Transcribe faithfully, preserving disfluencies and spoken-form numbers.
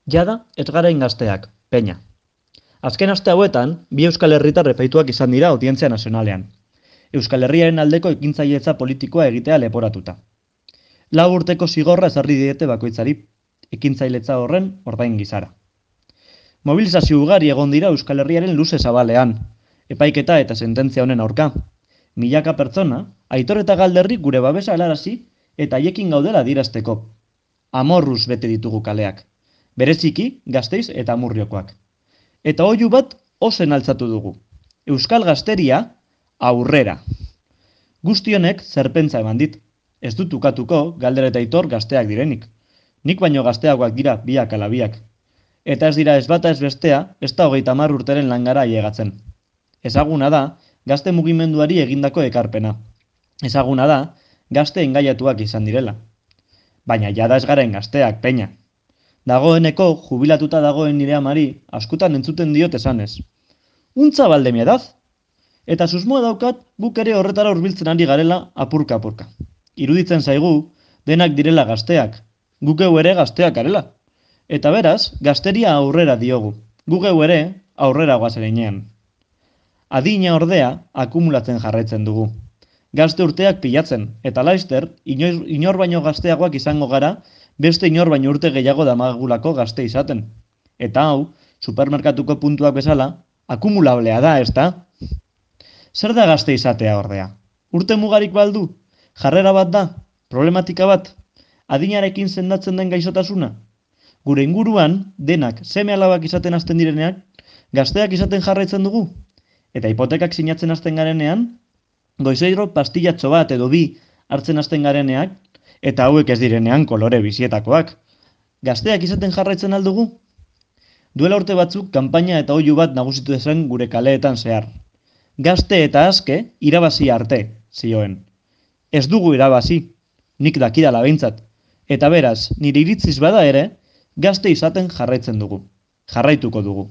Jada, ez garain gazteak, peña. Azken aste hauetan, bi Euskal Herritar epaituak izan dira Audientzia Nazionalean. Euskal Herriaren aldeko ekintzailetza politikoa egitea leporatuta. Lau urteko zigorra ezarri diete bakoitzari, ekintzailetza horren ordain gizara. Mobilizazio ugari egon dira Euskal Herriaren luze zabalean, epaiketa eta sententzia honen aurka. Milaka pertsona, Aitor eta Galderri gure babesa helarazi eta haiekin gaudela adierazteko. Amorruz bete ditugu kaleak, bereziki Gasteiz eta Amurriokoak. Eta oihu bat ozen altzatu dugu. Euskal Gazteria aurrera. Guzti honek zerpentza eman dit. Ez dut ukatuko Galder eta Aitor gazteak direnik. Nik baino gazteagoak dira biak ala biak. Eta ez dira ez bata ez bestea, ez da hogeita hamar urteren langara ailegatzen. Ezaguna da, gazte mugimenduari egindako ekarpena. Ezaguna da, gazte engaiatuak izan direla. Baina jada ez garen gazteak, peña. Dagoeneko, jubilatuta dagoen nire amari, askotan entzuten diot esanez. Untza balde mi edad? Eta susmoa daukat, guk ere horretara hurbiltzen ari garela apurka-apurka. Iruditzen zaigu, denak direla gazteak, guk eu ere gazteak garela. Eta beraz, gazteria aurrera diogu, guk eu ere aurrera goazereinean. Adina ordea, akumulatzen jarraitzen dugu. Gazte urteak pilatzen, eta laizter, inor, inor baino gazteagoak izango gara, beste inor baino urte gehiago damagulako gazte izaten. Eta hau, supermerkatuko puntuak bezala, akumulablea da, ez da? Zer da gazte izatea ordea? Urte mugarik baldu? Jarrera bat da? Problematika bat? Adinarekin sendatzen den gaixotasuna? Gure inguruan, denak seme alabak izaten hasten direneak, gazteak izaten jarraitzen dugu? Eta hipotekak sinatzen hasten garenean, goizeiro pastillatxo bat edo bi hartzen hasten gareneak, eta hauek ez direnean kolore bizietakoak. Gazteak izaten jarraitzen aldugu? Duela urte batzuk, kanpaina eta oihu bat nagusitu zen gure kaleetan zehar. Gazte eta aske, irabazi arte, zioen. Ez dugu irabazi, nik dakidala behintzat. Eta beraz, nire iritziz bada ere, gazte izaten jarraitzen dugu. Jarraituko dugu.